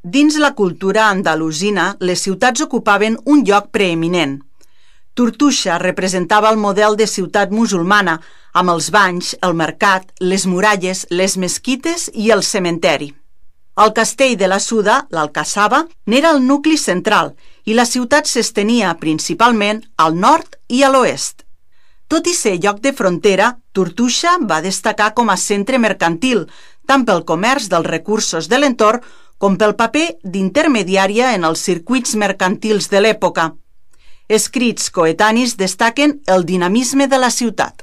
Dins la cultura andalusina, les ciutats ocupaven un lloc preeminent. Tortosa representava el model de ciutat musulmana, amb els banys, el mercat, les muralles, les mesquites i el cementeri. El castell de la Suda, l'Alcassaba, n'era el nucli central i la ciutat s'estenia principalment al nord i a l'oest. Tot i ser lloc de frontera, Tortosa va destacar com a centre mercantil, tant pel comerç dels recursos de l'entorn com pel paper d'intermediària en els circuits mercantils de l'època. Escrits coetanis destaquen el dinamisme de la ciutat.